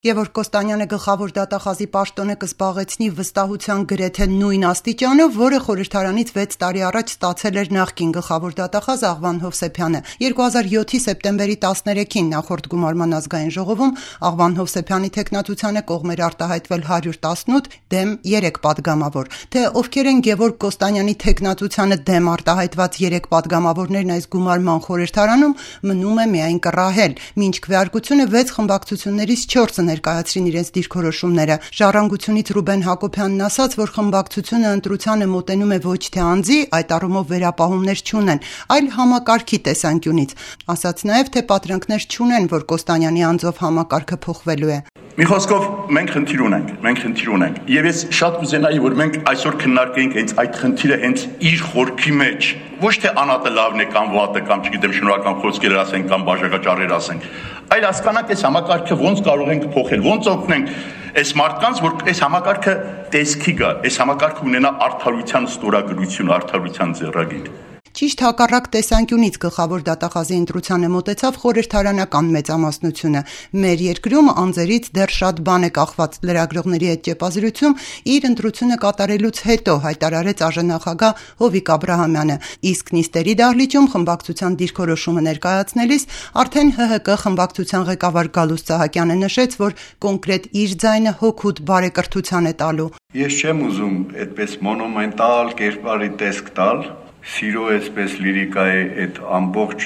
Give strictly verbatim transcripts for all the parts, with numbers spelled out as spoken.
Գևորգ Կոստանյանը գլխավոր դատախազի պաշտոնը կզբաղեցնի վստահության գրեթե նույն աստիճանով, որը խորհրդարանից վեց տարի առաջ ստացել էր նախկին գլխավոր դատախազ Աղվան Հովսեփյանը։ երկու հազար յոթի սեպտեմբերի տասներեքին նախորդ գումարման ազգային ժողովում Աղվան Հովսեփյանի թեկնածությանը կողմ էր արտահայտվել հարյուր տասնութ, դեմ երեք պատգամավոր։ Թե ովքեր են Գևորգ Կոստանյանի թեկնածությանը դեմ արտահայտված երեք պատգամավորներն այս գումարման խորհրդարանում, մնում է միայն կռահել, մինչ քվեարկությունը վեց խմբակցություններից չորսը ներկայացրին իրենց դիրքորոշումները։ Ժառանգությունից Ռուբեն Հակոբյանն ասաց, որ խմբակցությունը ընտրությանը մոտենում է ոչ թե անձի, այդ առումով վերապահումներ չունեն, այլ համակարգի տեսանկյունից։ Ասաց նաև, թե պատրանքներ չունեն, որ Կոստանյանի անձով համակարգը փոխվելու է։ Մի խոսքով մենք խնդիր ունենք, մենք խնդիր ունենք։ Եվ ես շատ կուզենայի, որ մենք այսօր քննարկենք հենց այդ խնդիրը հենց իր խորքի մեջ, ոչ թե անատը լավն է կամ վատը կամ չգիտեմ շնորհական խոսքեր ասենք կամ բաժակաճառեր ասենք, այլ հասկանանք այս համակարգը ոնց կարող ենք փոխել, ոնց օգնենք այս մարդկանց, որ այս համակարգը տեսքի գա, այս համակարգը ունենա արդարության ստորագրություն, արդարության ձեռագիր։ Ճիշտ հակառակ տեսանկյունից գլխավոր դատախազի ընտրությանը մոտեցավ խորհրդարանական մեծամասնությունը։ Մեր երկրում անձերից դեռ շատ բան է կախված, լրագրողների հետ ճեպազրույցում իր ընտրությունը կատարելուց հետո հայտարարեց ԱԺ-նախագահ Հովիկ Աբրահամյանը, իսկ նիստերի դահլիճում խմբակցության դիրքորոշումը ներկայացնելիս արդեն ՀՀԿ խմբակցության ղեկավար Գալուստ Սահակյանը նշեց, որ կոնկրետ իր ձայնը հոգուտ բարեկրթության է տալու։ Ես չեմ ուզում այդպես մոնումենտալ կերպարի տեսք տալ, սիրո այսպես լիրիկայի այդ ամբողջ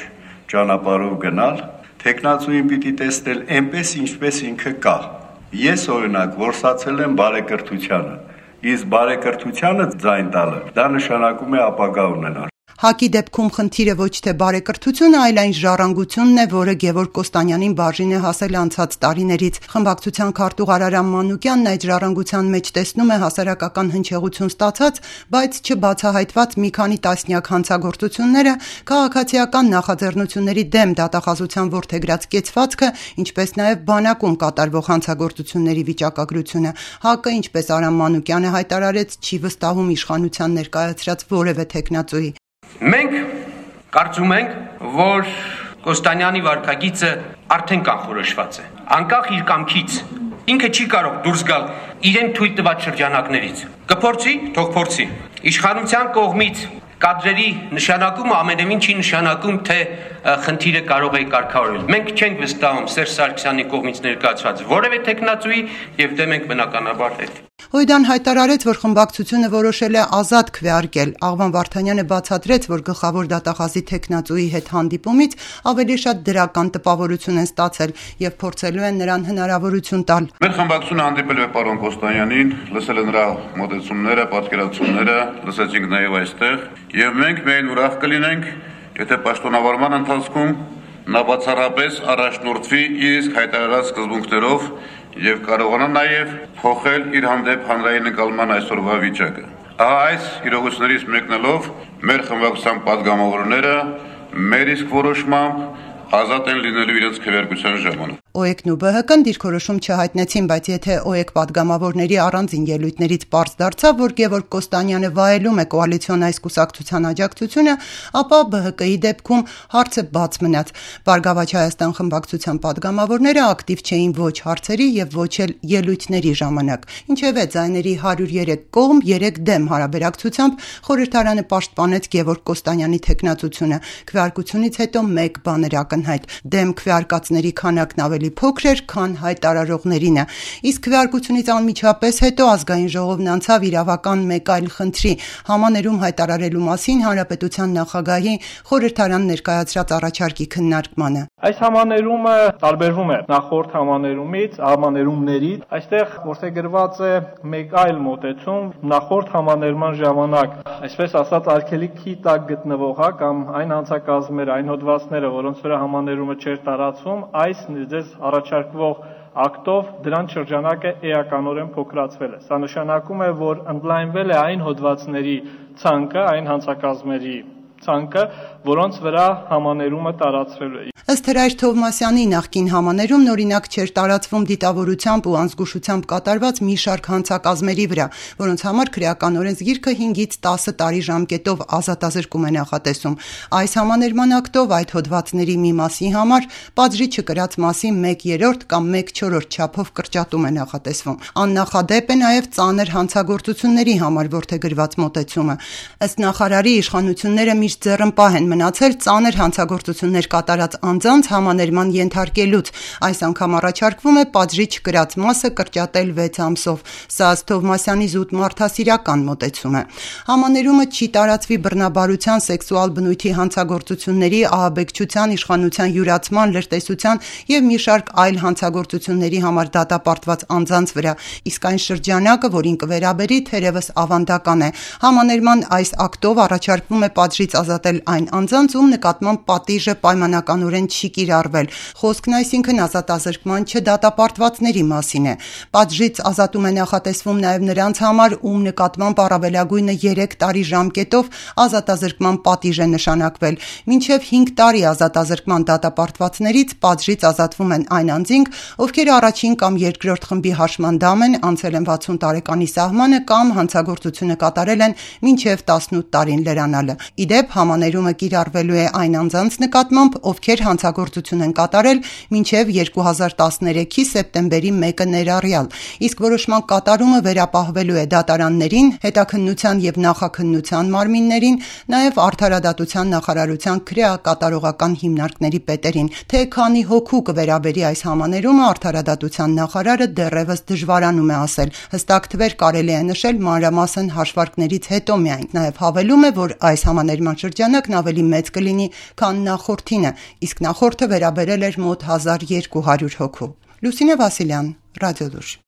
ճանապարհով գնալ, թեկնածուին պիտի տեսնել այնպես, ինչպես ինքը կա։ Ես օրինակ որսացել եմ բարեկրթությանը, իսկ բարեկրթությանը ձայն տալը, դա նշանակում է ապագա ունենալ։ ՀԱԿ-ի դեպքում խնդիրը ոչ թե բարեկրթությունը, այլ այն ժառանգությունն է, որը Գևորգ Կոստանյանին բաժին է հասել անցած տարիներից։ Խմբակցության քարտուղար Արամ Մանուկյանն այդ ժառանգության մեջ տեսնում է հասարակական հնչեղություն ստացած, բայց չբացահայտված մի քանի տասնյակ հանցագործությունները, քաղաքացիական նախաձեռնությունների դեմ դատախազության որդեգրած կեցվածքը, ինչպես նաև բանակում կատարվող հանցագործությունների վիճակագրությունը։ ՀԱԿ-ը, ինչպես Արամ Մանուկյանը հայտարարեց, չի վստահում իշխանության ներկայացրած որևէ թեկնածուի։ Մենք կարծում ենք, որ Կոստանյանի վարքագիծը արդեն կանխորոշված է, անկախ իր կամքից, ինքը չի կարող դուրս գալ իրեն թույլ տված շրջանակներից։ Կփորձի, թող փորձի։ Իշխանության կողմից կադրերի նշանակումը ամենևին չի նշանակում, թե խնդիրը կարող է կարգավորվել։ Մենք չենք վստահում Սերժ Սարգսյանի կողմից ներկայացված որևէ թեկնածուի եւ դեմ ենք բնականաբար հետ։ Հույդան հայտարարեց, որ խմբակցությունը որոշել է ազատ քվեարկել։ Աղվան Վարդանյանը բացատրեց, որ գլխավոր դատախազի թեկնածուի հետ հանդիպումից ավելի շատ դրական տպավորություն են ստացել եւ փորձելու են նրան հնարավորություն տալ։ Մեր խմբակցությունը հանդիպել է պարոն Կոստանյանին, լսել է նրա մոտեցումները, պատկերացումները, լսեցինք նաեւ այստեղ, եւ մենք միայն ուրախ կլինենք, եթե պաշտոնավարման ընթացքում նա բացառապես առաջնորդվի իր իսկ հայտարարած սկզբունքներով եւ կարողանա նաեւ փոխել իր հանդեպ հանրային ընկալման այսօրվա վիճակը։ Ահա այս իրողություններից մեկնելով մեր խմբակցության պատգամավորները մեր իսկ որոշմամբ ազատ են լինելու իրենց քվեարկության ժամանակ։ ՕԵԿ-ն ու ԲՀԿ-ն դիրքորոշում չհայտնեցին, բայց եթե ՕԵԿ պատգամավորների առանձին ելույթներից պարզ դարձավ, որ Գևորգ Կոստանյանը վայելում է կոալիցիոն այս կուսակցության աջակցությունը, ապա ԲՀԿ-ի դեպքում հարցը բաց մնաց։ Բարգավաճ Հայաստան խմբակցության պատգամավորները ակտիվ չէին ոչ հարցերի եւ ոչ էլ ելույթների ժամանակ։ Ինչևէ, ձայների հարյուր երեք կողմ, երեք դեմ հարաբերակցությամբ խորհրդարանը պաշտպանեց Գևորգ Կոստանյանի թեկնածությունը։ Քվեարկությունից հետո մեկ բան էր ակնհայտ՝ դեմ քվեարկածների քանակն ավելի փոքր էր, քան հայտարարողներինը։ Իսկ քվեարկությունից անմիջապես հետո ազգային ժողովն անցավ իրավական մեկ այլ խնդրի՝ համաներում հայտարարելու մասին հանրապետության նախագահի խորհրդարան ներկայացրած առաջարկի քննարկմանը։ Այս համաներումը տարբերվում է նախորդ համաներումից, համաներումներից։ Այստեղ որդեգրված է մեկ այլ մոտեցում նախորդ համաներման ժամանակ, այսպես ասած, արգելքի տակ գտնվող կամ այն հանցակազմերը, այն հոդվածները, որոնց վրա համաներումը չէր տարածվում, այս ձեզ առաջարկվող ակտով դրանց շրջանակը էականորեն փոքրացվել է։ Սա նշանակում է, որ ընդլայնվել է այն հոդվածների ցանկը, այն հանցակազմերի ցանկը, որոնց վրա համաներումը տարածվելու է։ Ըստ Հրայր Թովմասյանի նախկին համաներումն օրինակ չէր տարածվում դիտավորությամբ ու անզգուշությամբ կատարված մի շարք հանցակազմերի վրա, որոնց համար քրեական օրենսգիրքը հինգից տասը տարի ժամկետով ազատազրկում է նախատեսում։ Այս համաներման ակտով այդ հոդվածների մի մասի համար պատժի չկրած մասի մեկ երրորդ կամ մեկ չորրորդ չափով կրճատում է նախատեսվում։ Աննախադեպ է նաև ծանր հանցագործությունների համար որդեգրված մոտեցումը։ Ըստ նախարարի, իշխանությունները միշտ ձեռնպահ են մնացել ծանր հանցագործություններ կատարած անձանց համաներման ենթարկելուց։ Այս անգամ առաջարկվում է պատժի չկրած մասը կրճատել վեց ամսով։ Սա ըստ Թովմասյանի զուտ մարդասիրական մոտեցում է։ Համաներումը չի տարածվի բռնաբարության, սեքսուալ բնույթի հանցագործությունների, ահաբեկչության, իշխանության յուրացման, լրտեսության և մի շարք այլ հանցագործությունների համար դատապարտված անձանց վրա, իսկ այն շրջանակը, որին կվերաբերի, թերևս ավանդական է։ Համաներման այս ակտով առաջարկվում է պատժից ազատել այն անձանց, ում նկատմամբ պատիժը պայմանականորեն չի կիրառվել։ Խոսքն այսինքն ազատազրկման չդատապարտվածների մասին է։ Պատժից ազատում է նախատեսվում նաև նրանց համար, ում նկատմամբ առավելագույնը երեք տարի ժամկետով ազատազրկման պատիժ է նշանակվել։ Մինչև հինգ տարի ազատազրկման դատապարտվածներից պատժից ազատվում են այն անձինք, ովքեր առաջին կամ երկրորդ խմբի հաշմանդամ են, անցել են վաթսուն տարեկանի սահմանը կամ հանցագործությունը կատարել են մինչև տասնութ տարին լրանալը։ Ի դեպ, համաներումը կիրառվելու է այն անձանց նկատմամբ, ովքեր հանցագործություն են կատարել մինչև երկու հազար տասներեքի սեպտեմբերի մեկը ներառյալ, իսկ որոշման կատարումը վերապահվելու է դատարաններին, հետաքննության և նախաքննության մարմիններին, նաև Արդարադատության նախարարության քրեակատարողական հիմնարկների պետերին։ Թե քանի հոգու կվերաբերի այս համաներումը, Արդարադատության նախարարը դեռևս դժվարանում է ասել։ Հստակ թվեր կարելի է նշել մանրամասն հաշվարկներից հետո միայն։ Նաև հավելում է, որ այս համաներման շրջանակն ավելի մեծ կլինի, քան նախորդինը, իսկ նախորդը վերաբերել էր մոտ հազար երկու հարյուր հոգու։ Լուսինե Վասիլյան, Ռադիոլուր։